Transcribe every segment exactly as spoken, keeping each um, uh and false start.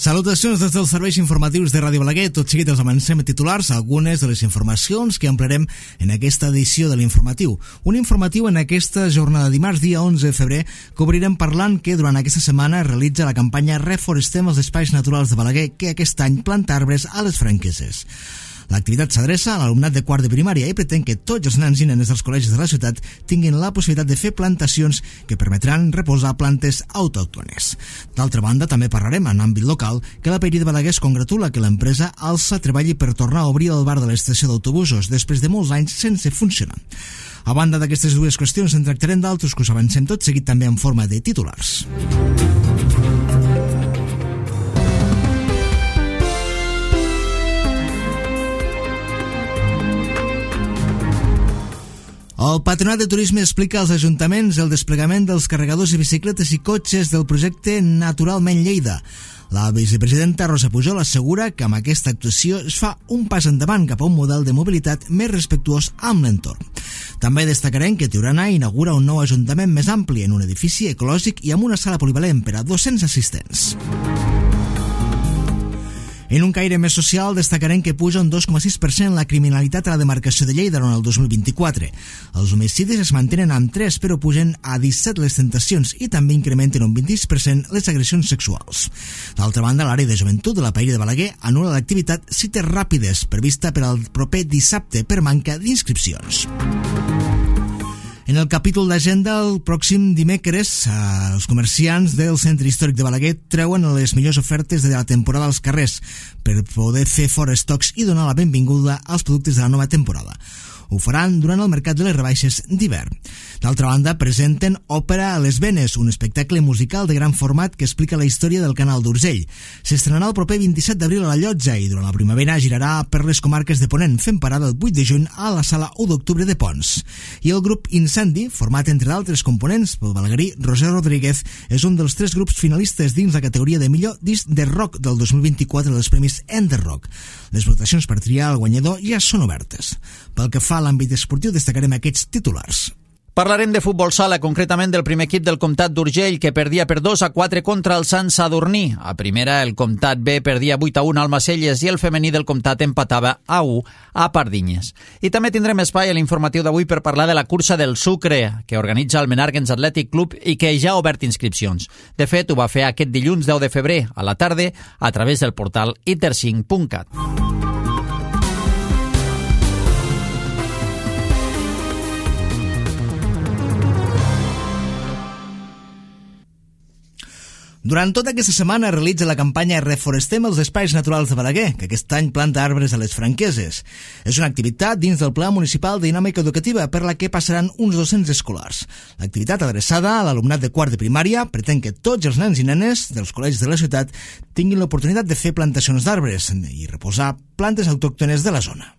Salutacions des dels serveis informatius de Ràdio Balaguer. Tot seguit els avancem a titulars algunes de les informacions que ampliarem en aquesta edició de l'informatiu. Un informatiu en aquesta jornada de dimarts, dia onze de febrer, que obrirem parlant que durant aquesta setmana es realitza la campanya Reforestem els espais naturals de Balaguer, que aquest any planta arbres a les Franqueses. L'activitat s'adreça a l'alumnat de quart de primària i pretén que tots els nens i nenes dels col·legis de la ciutat tinguin la possibilitat de fer plantacions que permetran reposar plantes autòctones. D'altra banda, també parlarem en àmbit local que la Paeria de Balaguer es congratula que l'empresa Alsa treballi per tornar a obrir el bar de l'estació d'autobusos després de molts anys sense funcionar. A banda d'aquestes dues qüestions, en tractarem d'altres que us avancem tot seguit també en forma de titulars. El Patronat de Turisme explica als ajuntaments el desplegament dels carregadors de bicicletes i cotxes del projecte Naturalment Lleida. La vicepresidenta Rosa Pujol assegura que amb aquesta actuació es fa un pas endavant cap a un model de mobilitat més respectuós amb l'entorn. També destacarem que Tiurana inaugura un nou ajuntament més ampli en un edifici ecològic i amb una sala polivalent per a dos-cents assistents. En un caire més social, destacarem que puja un dos coma sis per cent la criminalitat a la demarcació de Lleida durant el dos mil vint-i-quatre. Els homicidis es mantenen amb tres, però pugen a disset les tentacions i també incrementen un vint-i-sis per cent les agressions sexuals. D'altra banda, l'àrea de joventut de la Paeria de Balaguer anul·la l'activitat Cites Ràpides, prevista per al proper dissabte per manca d'inscripcions. En el capítol d'agenda, el pròxim dimecres, els comerciants del Centre Històric de Balaguer treuen les millors ofertes de la temporada als carrers per poder fer fora estocs i donar la benvinguda als productes de la nova temporada. Ho faran durant el mercat de les rebaixes d'hivern. D'altra banda, presenten Òpera a les Venes, un espectacle musical de gran format que explica la història del Canal d'Urgell. S'estrenarà el proper vint-i-set d'abril a la Llotja i durant la primavera girarà per les comarques de Ponent, fent parada el vuit de juny a la sala u d'octubre de Pons. I el grup Incendi, format entre d'altres components pel balaguerí Roser Rodríguez, és un dels tres grups finalistes dins la categoria de millor disc de rock del dos mil vint-i-quatre dels Premis Ender Rock. Les votacions per triar el guanyador ja són obertes. Pel que fa a l'àmbit esportiu, destacarem aquests titulars. Parlarem de futbol sala, concretament del primer equip del Comtat d'Urgell, que perdia per dos a quatre contra el Sant Sadurní. A primera, el Comtat B perdia vuit a un al Macelles i el femení del Comtat empatava a u a Pardinyes. I també tindrem espai a l'informatiu d'avui per parlar de la cursa del sucre, que organitza el Menàrguens Athletic Club i que ja ha obert inscripcions. De fet, ho va fer aquest dilluns deu de febrer, a la tarda, a través del portal i ter cinc punt cat. Durant tota aquesta setmana es realitza la campanya Reforestem els espais naturals de Balaguer, que aquest any planta arbres a les Franqueses. És una activitat dins del Pla Municipal de Dinàmica Educativa per la que passaran uns dos-cents escolars. L'activitat adreçada a l'alumnat de quart de primària pretén que tots els nens i nenes dels col·legis de la ciutat tinguin l'oportunitat de fer plantacions d'arbres i reposar plantes autòctones de la zona.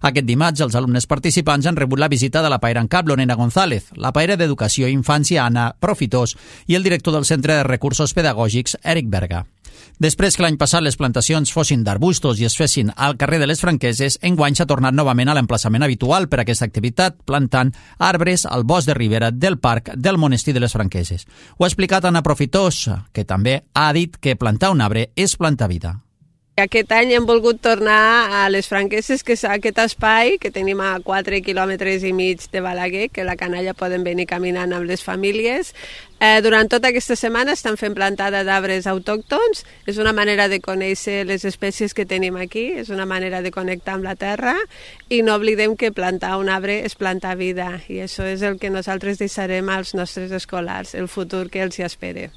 Aquest dimarts, els alumnes participants han rebut la visita de la paera en cap, Lorena González, la paera d'Educació i Infància, Anna Profitós, i el director del Centre de Recursos Pedagògics, Eric Berga. Després que l'any passat les plantacions fossin d'arbustos i es fessin al carrer de les Franqueses, enguany s'ha tornat novament a l'emplaçament habitual per a aquesta activitat, plantant arbres al bosc de ribera del parc del Monestir de les Franqueses. Ho ha explicat Anna Profitós, que també ha dit que plantar un arbre és plantar vida. Aquest any hem volgut tornar a les Franqueses, que és aquest espai que tenim a quatre quilòmetres i mig de Balaguer, que la canalla poden venir caminant amb les famílies. Eh, durant tota aquesta setmana estan fent plantada d'arbres autòctons. És una manera de conèixer les espècies que tenim aquí, és una manera de connectar amb la terra i no oblidem que plantar un arbre és plantar vida i això és el que nosaltres deixarem als nostres escolars, el futur que els hi espera.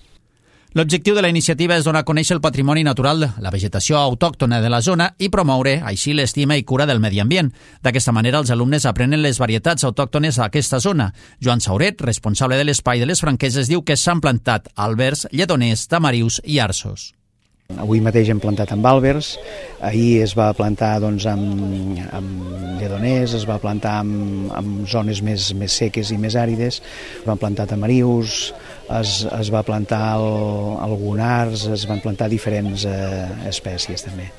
L'objectiu de la iniciativa és donar a conèixer el patrimoni natural, la vegetació autòctona de la zona i promoure així l'estima i cura del medi ambient. D'aquesta manera, els alumnes aprenen les varietats autòctones a aquesta zona. Joan Sauret, responsable de l'espai de les Franqueses, diu que s'han plantat àlbers, lledoners, tamarius i arços. Avui mateix hem plantat amb àlbers, ahir es va plantar doncs, amb, amb lledoners, es va plantar amb, amb zones més, més seques i més àrides, es van plantar tamarius, es, es va plantar el, algunars, es van plantar diferents eh, espècies també.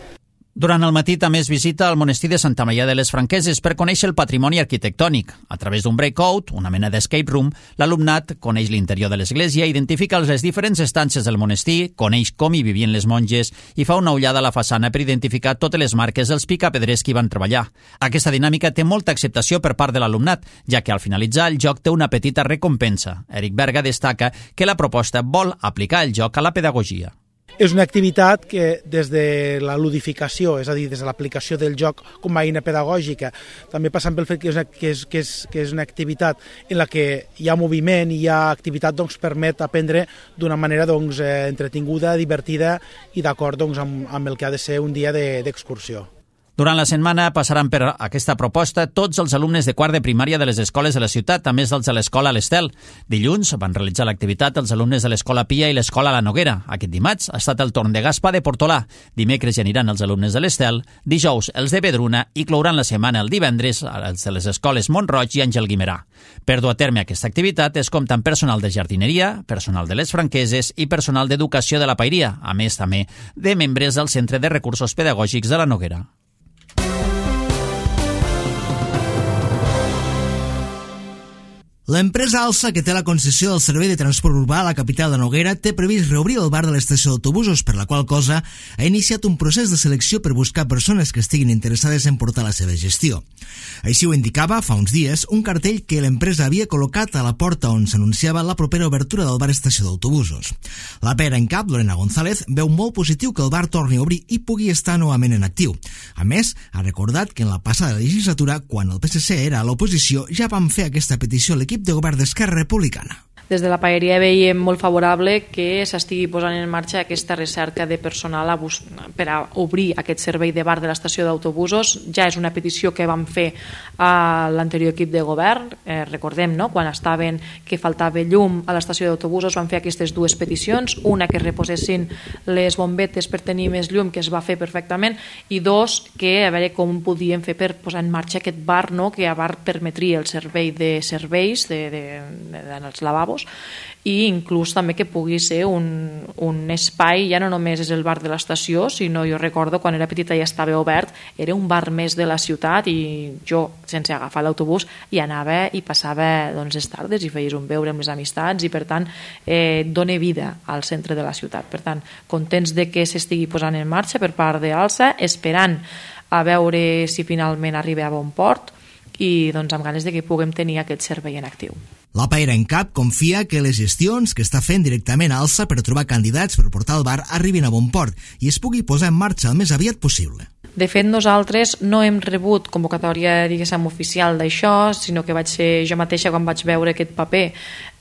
Durant el matí també es visita el monestir de Santa Maria de les Franqueses per conèixer el patrimoni arquitectònic. A través d'un breakout, una mena d'escape room, l'alumnat coneix l'interior de l'església, identifica les diferents estances del monestir, coneix com hi vivien les monges i fa una ullada a la façana per identificar totes les marques dels picapedrers que hi van treballar. Aquesta dinàmica té molta acceptació per part de l'alumnat, ja que al finalitzar el joc té una petita recompensa. Eric Berga destaca que la proposta vol aplicar el joc a la pedagogia. És una activitat que des de la ludificació, és a dir, des de l'aplicació del joc com a eina pedagògica, també passant pel fet que és una, que és, que és, que és una activitat en la que hi ha moviment i hi ha activitat, doncs permet aprendre d'una manera doncs, eh, entretinguda, divertida i d'acord doncs, amb, amb el que ha de ser un dia d'excursió. Durant la setmana passaran per aquesta proposta tots els alumnes de quart de primària de les escoles de la ciutat, a més dels de l'escola l'Estel. Dilluns van realitzar l'activitat els alumnes de l'escola Pia i l'escola La Noguera. Aquest dimarts ha estat el torn de Gaspar de Portolà. Dimecres hi aniran els alumnes de l'Estel, dijous els de Vedruna i clouran la setmana el divendres els de les escoles Montroig i Àngel Guimerà. Per dur a terme aquesta activitat es compta amb personal de jardineria, personal de les Franqueses i personal d'educació de la Pairia, a més també de membres del Centre de Recursos Pedagògics de la Noguera. L'empresa Alsa, que té la concessió del servei de transport urbà a la capital de Noguera, té previst reobrir el bar de l'estació d'autobusos, per la qual cosa ha iniciat un procés de selecció per buscar persones que estiguin interessades en portar la seva gestió. Així ho indicava, fa uns dies, un cartell que l'empresa havia col·locat a la porta on s'anunciava la propera obertura del bar estació d'autobusos. La pera en cap, Lorena González, veu molt positiu que el bar torni a obrir i pugui estar novament en actiu. A més, ha recordat que en la passada legislatura, quan el P S C era a l'oposició, ja van fer aquesta petició a l'equip de govern d'Esquerra Republicana. Des de la paeria veiem molt favorable que s'estigui posant en marxa aquesta recerca de personal a bus... per a obrir aquest servei de bar de l'estació d'autobusos. Ja és una petició que vam fer a l'anterior equip de govern. Eh, recordem, no?, quan estaven que faltava llum a l'estació d'autobusos vam fer aquestes dues peticions, una que reposessin les bombetes per tenir més llum, que es va fer perfectament, i dos, que a veure com podíem fer per posar en marxa aquest bar, no?, que a bar permetria el servei de serveis de, de, de, de, dels lavabos, i inclús també que pugui ser un, un espai, ja no només és el bar de l'estació, sinó jo recordo quan era petita ja estava obert, era un bar més de la ciutat i jo, sense agafar l'autobús, hi anava i passava doncs, les tardes i feies un beure amb les amistats i per tant eh, dona vida al centre de la ciutat. Per tant, contents de que s'estigui posant en marxa per part d'Alsa, esperant a veure si finalment arriba a bon port i doncs, amb ganes de que puguem tenir aquest servei en actiu. La Paera en Cap confia que les gestions que està fent directament a Alsa per trobar candidats per portar el bar arribin a bon port i es pugui posar en marxa el més aviat possible. De fet, nosaltres no hem rebut convocatòria, diguéssim, oficial d'això, sinó que vaig ser jo mateixa quan vaig veure aquest paper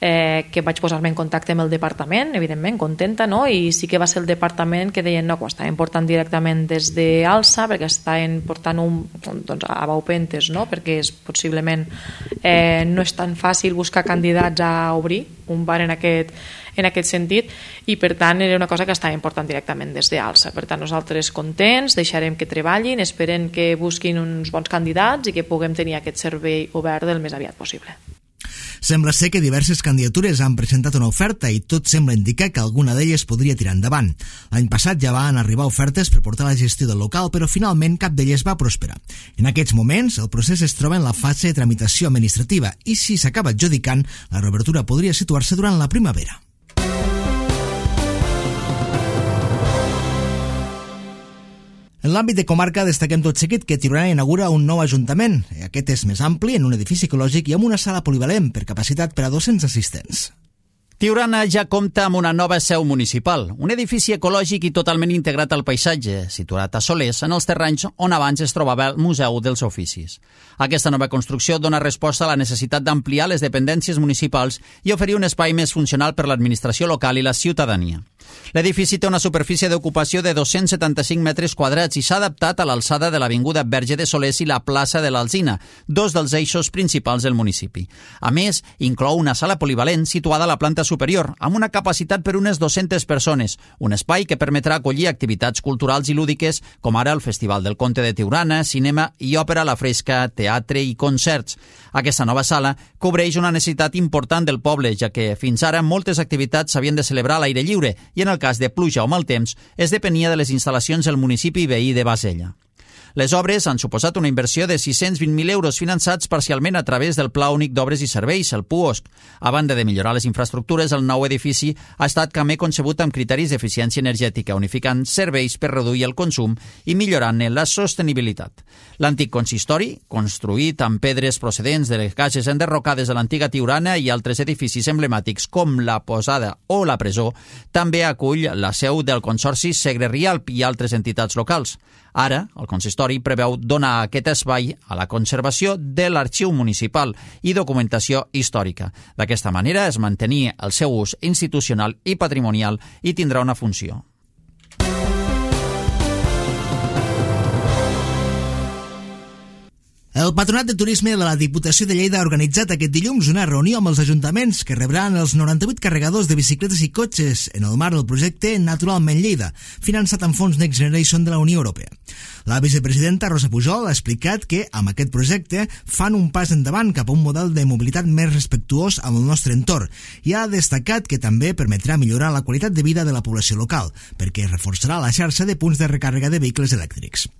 eh, que vaig posar-me en contacte amb el departament, evidentment, contenta, no? I sí que va ser el departament que deien no, que ho estaven portant directament des d'Alsa, perquè estaven portant un, doncs, a Baupentes, no? Perquè és, possiblement eh, no és tan fàcil buscar candidats a obrir un bar en aquest, en aquest sentit i per tant era una cosa que estàvem portant directament des d'Alsa. Per tant, nosaltres contents, deixarem que treballin, esperen que busquin uns bons candidats i que puguem tenir aquest servei obert el més aviat possible. Sembla ser que diverses candidatures han presentat una oferta i tot sembla indicar que alguna d'elles podria tirar endavant. L'any passat ja van arribar ofertes per portar la gestió del local, però finalment cap d'elles va prosperar. En aquests moments, el procés es troba en la fase de tramitació administrativa i si s'acaba adjudicant, la reobertura podria situar-se durant la primavera. En l'àmbit de comarca destaquem tot seguit que Tiurana inaugura un nou ajuntament. Aquest és més ampli, en un edifici ecològic i amb una sala polivalent per capacitat per a dos-cents assistents. Tiurana ja compta amb una nova seu municipal, un edifici ecològic i totalment integrat al paisatge, situat a Solers, en els terrenys on abans es trobava el Museu dels Oficis. Aquesta nova construcció dona resposta a la necessitat d'ampliar les dependències municipals i oferir un espai més funcional per l'administració local i la ciutadania. L'edifici té una superfície d'ocupació de dos-cents setanta-cinc metres quadrats i s'ha adaptat a l'alçada de l'avinguda Verge de Solers i la plaça de l'Alzina, dos dels eixos principals del municipi. A més, inclou una sala polivalent situada a la planta superior, amb una capacitat per unes dues-centes persones, un espai que permetrà acollir activitats culturals i lúdiques com ara el Festival del Conte de Tiurana, cinema i òpera a la fresca, teatre i concerts. Aquesta nova sala cobreix una necessitat important del poble, ja que fins ara moltes activitats s'havien de celebrar a l'aire lliure i en el cas de pluja o mal temps es depenia de les instal·lacions del municipi veí de Bassella. Les obres han suposat una inversió de sis-cents vint mil euros finançats parcialment a través del Pla Únic d'Obres i Serveis, el P U O S C. A banda de millorar les infraestructures, el nou edifici ha estat també concebut amb criteris d'eficiència energètica, unificant serveis per reduir el consum i millorant-ne la sostenibilitat. L'antic consistori, construït amb pedres procedents de les cases enderrocades de l'antiga Tiurana i altres edificis emblemàtics com la Posada o la Presó, també acull la seu del Consorci Segre Rialp i altres entitats locals. Ara, el consistori preveu donar aquest espai a la conservació de l'arxiu municipal i documentació històrica. D'aquesta manera es mantenia el seu ús institucional i patrimonial i tindrà una funció. El Patronat de Turisme de la Diputació de Lleida ha organitzat aquest dilluns una reunió amb els ajuntaments que rebran els noranta-vuit carregadors de bicicletes i cotxes en el marc del projecte Naturalment Lleida, finançat amb fons Next Generation de la Unió Europea. La vicepresidenta Rosa Pujol ha explicat que amb aquest projecte fan un pas endavant cap a un model de mobilitat més respectuós amb el nostre entorn i ha destacat que també permetrà millorar la qualitat de vida de la població local, perquè reforçarà la xarxa de punts de recàrrega de vehicles elèctrics.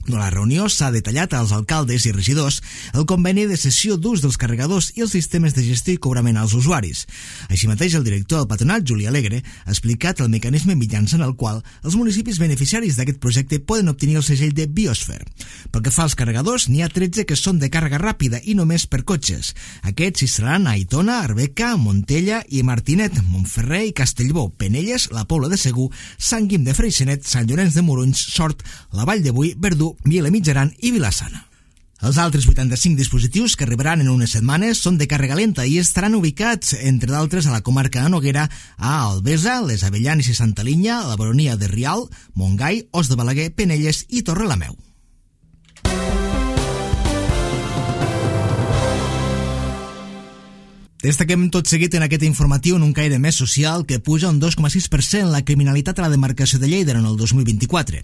A la reunió s'ha detallat als alcaldes i regidors el conveni de cessió d'ús dels carregadors i els sistemes de gestió i cobrament als usuaris. Així mateix, el director del patronat, Juli Alegre, ha explicat el mecanisme mitjançant el qual els municipis beneficiaris d'aquest projecte poden obtenir el segell de Biosfer. Pel que fa als carregadors, n'hi ha tretze que són de càrrega ràpida i només per cotxes. Aquests s'instal·laran a Aitona, Arbeca, Montella i Martinet, Montferrer i Castellbó, Penelles, la Pobla de Segur, Sant Guim de Freixenet, Sant Llorenç de Morunys, Sort, la Vall de Boí, Verdú, Viela Mitjaran i Vilassana. Els altres vuitanta-cinc dispositius que arribaran en unes setmanes són de càrrega lenta i estaran ubicats, entre d'altres, a la comarca de Noguera, a Albesa, les Avellanes i Santa Linya, a la baronia de Rial, Montgai, Os de Balaguer, Penelles i Torrelameu. Destaquem tot seguit en aquest informatiu en un caire més social que puja un dos coma sis per cent la criminalitat a la demarcació de Lleida en el dos mil vint-i-quatre.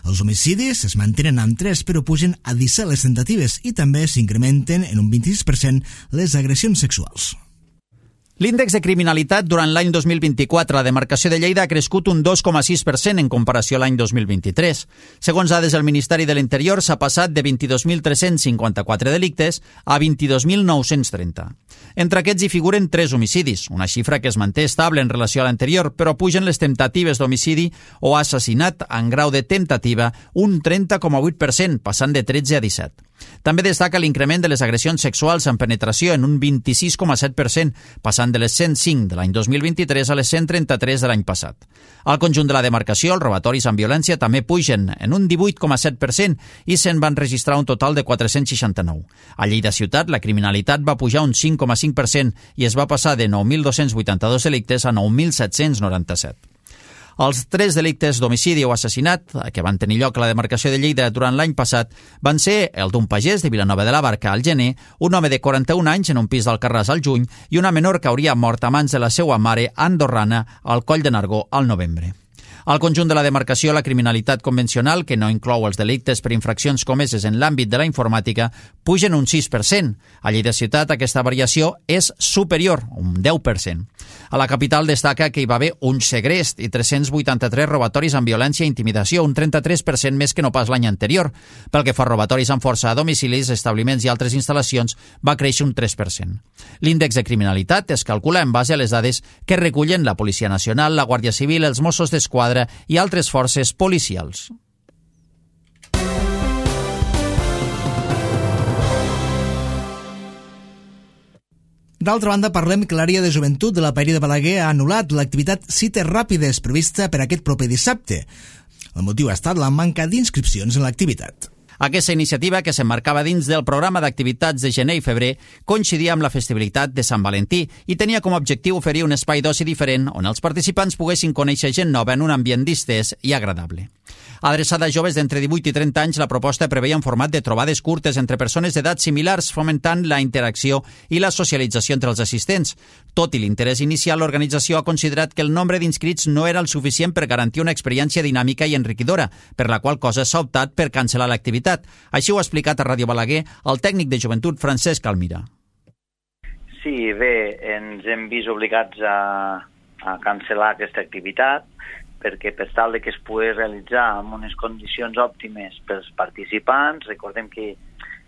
Els homicidis es mantenen amb tres però pugen a disset les tentatives i també s'incrementen en un vint-i-sis per cent les agressions sexuals. L'índex de criminalitat durant l'any dos mil vint-i-quatre a la demarcació de Lleida ha crescut un dos coma sis per cent en comparació a l'any dos mil vint-i-tres. Segons dades del Ministeri de l'Interior, s'ha passat de vint-i-dos mil tres-cents cinquanta-quatre delictes a vint-i-dos mil nou-cents trenta. Entre aquests hi figuren tres homicidis, una xifra que es manté estable en relació a l'anterior, però pugen les temptatives d'homicidi o assassinat en grau de temptativa un trenta coma vuit per cent, passant de tretze a disset. També destaca l'increment de les agressions sexuals amb penetració en un vint-i-sis coma set per cent, passant de les cent cinc de l'any dos mil vint-i-tres a les cent trenta-tres de l'any passat. Al conjunt de la demarcació, els robatoris amb violència també pugen en un divuit coma set per cent i se'n van registrar un total de quatre-cents seixanta-nou. A Lleida ciutat, la criminalitat va pujar un cinc coma cinc per cent i es va passar de nou mil dos-cents vuitanta-dos delictes a nou mil set-cents noranta-set. Els tres delictes d'homicidi o assassinat que van tenir lloc a la demarcació de Lleida durant l'any passat van ser el d'un pagès de Vilanova de la Barca al gener, un home de quaranta-un anys en un pis d'Alcarràs al juny i una menor que hauria mort a mans de la seva mare andorrana al Coll de Nargó al novembre. Al conjunt de la demarcació, la criminalitat convencional, que no inclou els delictes per infraccions comeses en l'àmbit de la informàtica, pugen un sis per cent. A Lleida ciutat aquesta variació és superior, un deu per cent. A la capital destaca que hi va haver un segrest i tres-cents vuitanta-tres robatoris amb violència i intimidació, un trenta-tres per cent més que no pas l'any anterior. Pel que fa a robatoris amb força a domicilis, establiments i altres instal·lacions, va créixer un tres per cent. L'índex de criminalitat es calcula en base a les dades que recullen la Policia Nacional, la Guàrdia Civil, els Mossos d'Esquadra i altres forces policials. D'altra banda, parlem que l'àrea de joventut de la Paeria de Balaguer ha anul·lat l'activitat Cites Ràpides prevista per aquest proper dissabte. El motiu ha estat la manca d'inscripcions en l'activitat. Aquesta iniciativa, que s'emmarcava dins del programa d'activitats de gener i febrer, coincidia amb la festivitat de Sant Valentí i tenia com a objectiu oferir un espai d'oci diferent on els participants poguessin conèixer gent nova en un ambient distès i agradable. Adreçada a joves d'entre divuit i trenta anys, la proposta preveia un format de trobades curtes entre persones d'edats similars, fomentant la interacció i la socialització entre els assistents. Tot i l'interès inicial, l'organització ha considerat que el nombre d'inscrits no era el suficient per garantir una experiència dinàmica i enriquidora, per la qual cosa s'ha optat per cancel·lar l'activitat. Així ho ha explicat a Ràdio Balaguer el tècnic de joventut Francesc Almira. Sí, bé, ens hem vist obligats a, a cancel·lar aquesta activitat perquè per tal de que es pugui realitzar amb unes condicions òptimes pels participants. Recordem que,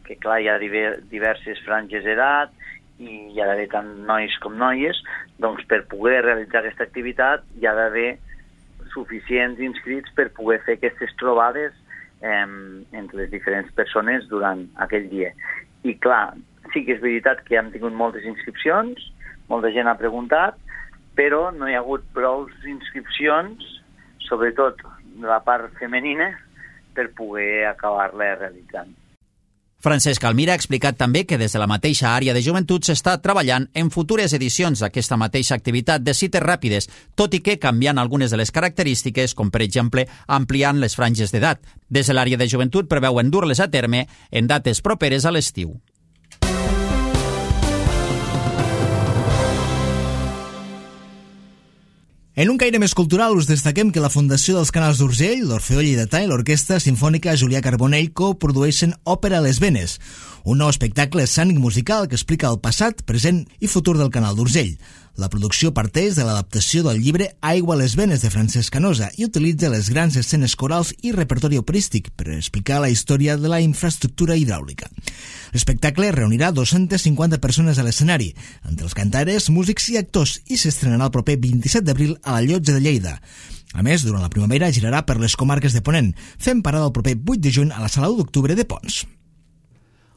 que clar, hi ha diver, diverses franges d'edat i hi ha d'haver tant nois com noies, doncs per poder realitzar aquesta activitat hi ha d'haver suficients inscrits per poder fer aquestes trobades eh, entre les diferents persones durant aquell dia. I clar, sí que és veritat que hem tingut moltes inscripcions, molta gent ha preguntat, però no hi ha hagut prou inscripcions, sobretot de la part femenina, per poder acabar-la realitzant. Francesc Almira ha explicat també que des de la mateixa àrea de joventut s'està treballant en futures edicions d'aquesta mateixa activitat de cites ràpides, tot i que canviant algunes de les característiques, com per exemple ampliant les franges d'edat. Des de l'àrea de joventut preveuen dur-les a terme en dates properes a l'estiu. En un caire més cultural us destaquem que la Fundació dels Canals d'Urgell, l'Orfeó Lleidatà i l'Orquestra Simfònica Julià Carbonell coprodueixen Òpera a les Venes, un nou espectacle escènic musical que explica el passat, present i futur del Canal d'Urgell. La producció parteix de l'adaptació del llibre Aigua a les Venes de Francesc Canosa i utilitza les grans escenes corals i repertori operístic per explicar la història de la infraestructura hidràulica. L'espectacle reunirà dues-centes cinquanta persones a l'escenari, entre els cantaires, músics i actors, i s'estrenarà el proper vint-i-set d'abril a la Llotja de Lleida. A més, durant la primavera girarà per les comarques de Ponent, fent parada el proper vuit de juny a la Sala u d'Octubre de Pons.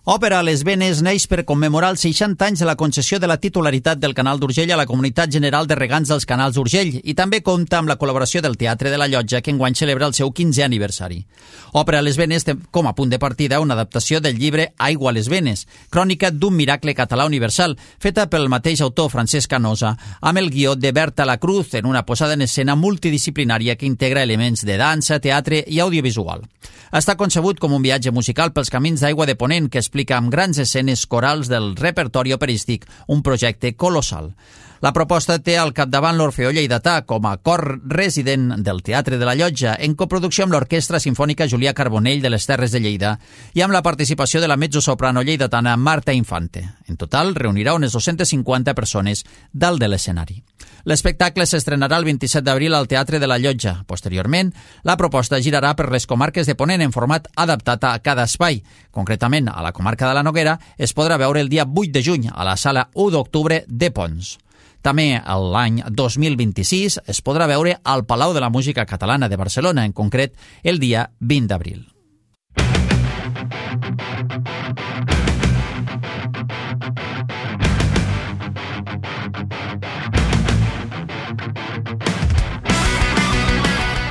Òpera a les Venes neix per commemorar els seixanta anys de la concessió de la titularitat del Canal d'Urgell a la Comunitat General de Regants dels Canals d'Urgell i també compta amb la col·laboració del Teatre de la Llotja, que enguany celebra el seu quinzè aniversari. Òpera a les Venes té com a punt de partida una adaptació del llibre Aigua a les Venes, crònica d'un miracle català universal, feta pel mateix autor Francesc Canosa, amb el guió de Berta Lacruz en una posada en escena multidisciplinària que integra elements de dansa, teatre i audiovisual. Està concebut com un viatge musical pels camins d'aigua de Ponent que explica amb grans escenes corals del repertori operístic, un projecte colossal. La proposta té al capdavant l'Orfeó Lleidatà com a cor resident del Teatre de la Llotja, en coproducció amb l'Orquestra Simfònica Julià Carbonell de les Terres de Lleida i amb la participació de la mezzosoprano lleidatana Marta Infante. En total, reunirà unes dues-centes cinquanta persones dalt de l'escenari. L'espectacle s'estrenarà el vint-i-set d'abril al Teatre de la Llotja. Posteriorment, la proposta girarà per les comarques de Ponent en format adaptat a cada espai. Concretament, a la comarca de la Noguera es podrà veure el dia vuit de juny a la Sala u d'Octubre de Pons. També l'any dos mil vint-i-sis es podrà veure al Palau de la Música Catalana de Barcelona, en concret el dia vint d'abril.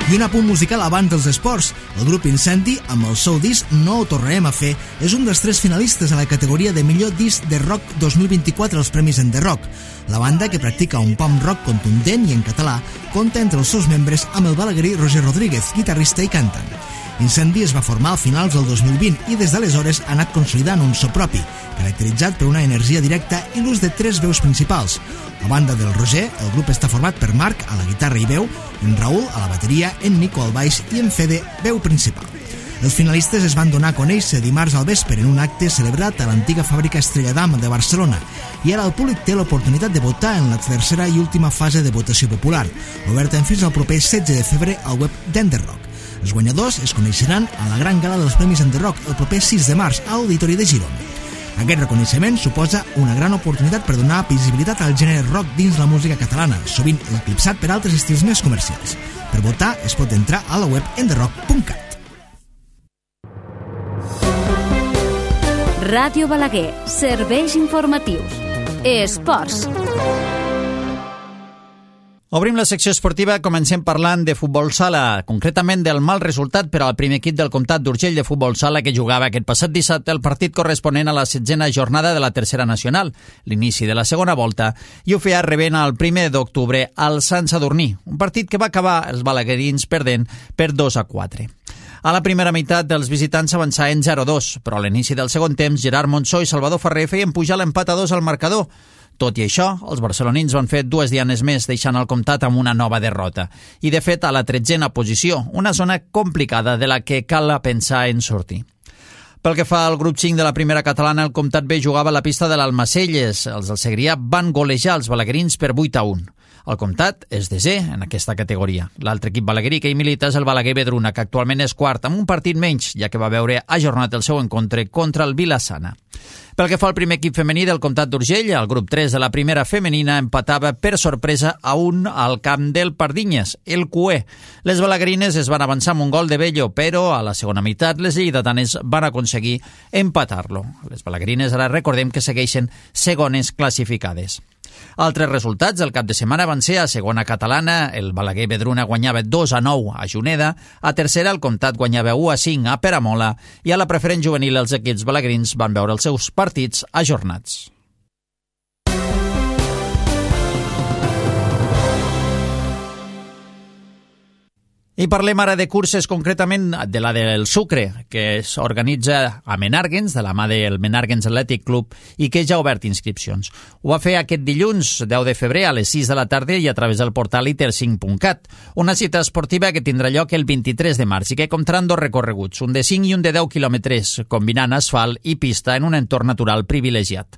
I un apunt musical abans dels esports. El grup Incendi, amb el seu disc No ho tornarem a fer, és un dels tres finalistes a la categoria de millor disc de rock dos mil vint-i-quatre als Premis en The Rock. La banda, que practica un punk rock contundent i en català, compta entre els seus membres amb el balaguerí Roger Rodríguez, guitarrista i cantant. Incendi es va formar a finals del dos mil vint i des d'aleshores ha anat consolidant un so propi, caracteritzat per una energia directa i l'ús de tres veus principals. A banda del Roger, el grup està format per Marc a la guitarra i veu, en Raül a la bateria, en Nico al baix i en Fede, veu principal. Els finalistes es van donar a conèixer dimarts al vespre en un acte celebrat a l'antiga fàbrica Estrella d'Am de Barcelona i ara el públic té l'oportunitat de votar en la tercera i última fase de votació popular, oberta fins al proper setze de febrer al web d'Enderrock. Els guanyadors es coneixeran a la gran gala dels Premis en The Rock el proper sis de març a l'Auditori de Girona. Aquest reconeixement suposa una gran oportunitat per donar visibilitat al gènere rock dins la música catalana, sovint eclipsat per altres estils més comercials. Per votar es pot entrar a la web enderrock punt cat. Ràdio Balaguer, serveis informatius. Esports. Obrim la secció esportiva, comencem parlant de futbol sala, concretament del mal resultat per al primer equip del Comtat d'Urgell de futbol sala que jugava aquest passat dissabte el partit corresponent a la setzena jornada de la tercera nacional, l'inici de la segona volta, i ho feia rebent el primer d'octubre al Sant Sadurní, un partit que va acabar els balaguerins perdent per dos a quatre. A la primera meitat dels visitants avançaven zero a dos, però a l'inici del segon temps Gerard Monzó i Salvador Ferrer feien pujar l'empat a dos al marcador. Tot i això, els barcelonins van fer dues dianes més, deixant el Comtat amb una nova derrota. I, de fet, a la tretzena posició, una zona complicada de la que cal pensar en sortir. Pel que fa al grup cinc de la primera catalana, el Comtat B jugava a la pista de l'Almacelles. Els del Segrià van golejar els balaguerins per vuit a un. El Comtat és desè en aquesta categoria. L'altre equip balaguerí que hi milita és el Balaguer Vedruna, que actualment és quart, amb un partit menys, ja que va veure ajornat el seu encontre contra el Vila-sana. Pel que fa al primer equip femení del Comtat d'Urgell, el grup tres de la primera femenina empatava per sorpresa a un al camp del Pardinyes, el Cué. Les balaguerines es van avançar amb un gol de Bello, però a la segona meitat les lleidatanes van aconseguir empatar-lo. Les balaguerines ara recordem que segueixen segones classificades. Altres resultats del cap de setmana van ser a segona catalana, el Balaguer Vedruna guanyava dos a nou a Juneda, a tercera el Comtat guanyava u a cinc a Peramola i a la preferent juvenil els equips balaguerins van veure els seus partits ajornats. I parlem ara de curses, concretament de la del Sucre, que s'organitza a Menàrguens, de la mà del Menàrguens Athletic Club, i que ja ha obert inscripcions. Ho va fer aquest dilluns, deu de febrer, a les sis de la tarda i a través del portal iter cinc punt cat. Una cita esportiva que tindrà lloc el vint-i-tres de març i que comptaran dos recorreguts, un de cinc i un de deu quilòmetres, combinant asfalt i pista en un entorn natural privilegiat.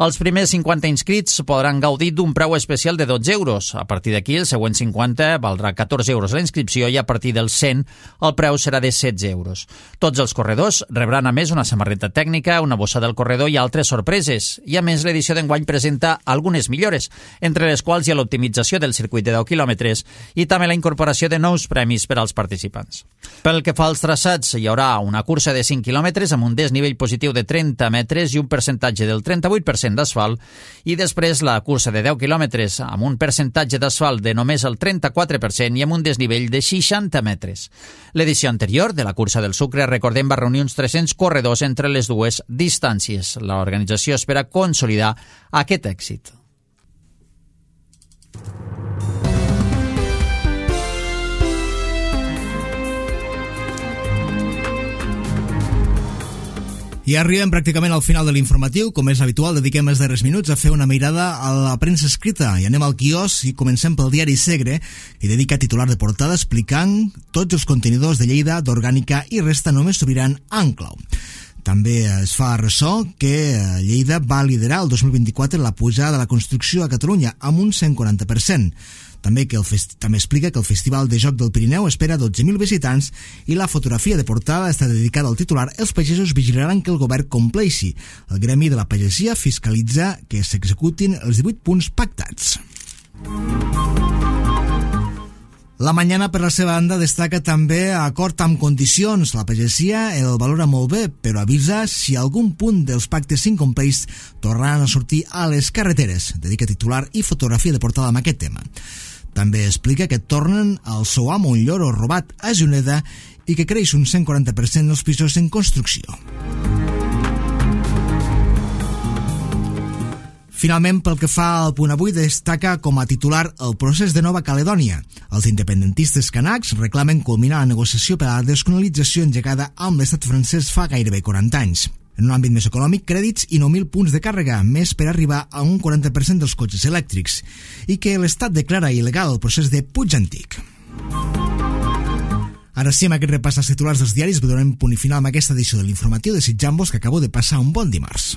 Els primers cinquanta inscrits podran gaudir d'un preu especial de dotze euros. A partir d'aquí, el següent cinquanta valdrà catorze euros la inscripció i a partir del cent el preu serà de setze euros. Tots els corredors rebran a més una samarreta tècnica, una bossa del corredor i altres sorpreses. I a més, l'edició d'enguany presenta algunes millores, entre les quals hi ha l'optimització del circuit de deu quilòmetres i també la incorporació de nous premis per als participants. Pel que fa als traçats, hi haurà una cursa de cinc quilòmetres amb un desnivell positiu de trenta metres i un percentatge del trenta-vuit per cent d'asfalt, i després la cursa de deu quilòmetres amb un percentatge d'asfalt de només el trenta-quatre per cent i amb un desnivell de seixanta metres. L'edició anterior de la cursa del Sucre, recordem, va reunir uns tres-cents corredors entre les dues distàncies. L'organització espera consolidar aquest èxit. I arribem pràcticament al final de l'informatiu. Com és habitual, dediquem els darrers minuts a fer una mirada a la premsa escrita. I anem al quiosc i comencem pel diari Segre, que dedica titular de portada explicant tots els contenidors de Lleida, d'Orgànica i Resta només s'obriran en clau. També es fa ressò que Lleida va liderar el dos mil vint-i-quatre la pujada de la construcció a Catalunya amb un cent quaranta per cent. També, que el fest... també explica que el Festival de Joc del Pirineu espera dotze mil visitants i la fotografia de portada està dedicada al titular «Els pagesos vigilaran que el govern compleixi». El gremi de la pagesia fiscalitza que s'executin els divuit punts pactats. La Mañana, per la seva banda, destaca també acord amb condicions. La pagesia el valora molt bé, però avisa si algun punt dels pactes s'incompleix tornaran a sortir a les carreteres. Dedica titular i fotografia de portada amb aquest tema. També explica que tornen al seu amo un lloro robat a Juneda i que creix un cent quaranta per cent dels pisos en construcció. Finalment, pel que fa al punt avui, destaca com a titular el procés de Nova Caledònia. Els independentistes canacs reclamen culminar la negociació per a la descolonització engegada amb l'estat francès fa gairebé quaranta anys. En un àmbit més econòmic, crèdits i nou mil punts de càrrega, més per arribar a un quaranta per cent dels cotxes elèctrics, i que l'Estat declara il·legal el procés de Puig Antic. Ara sí, amb aquest repàs als titulars dels diaris, donem punt i final amb aquesta edició de l'informatiu, desitjant-vos que acabeu de passar un bon dimarts.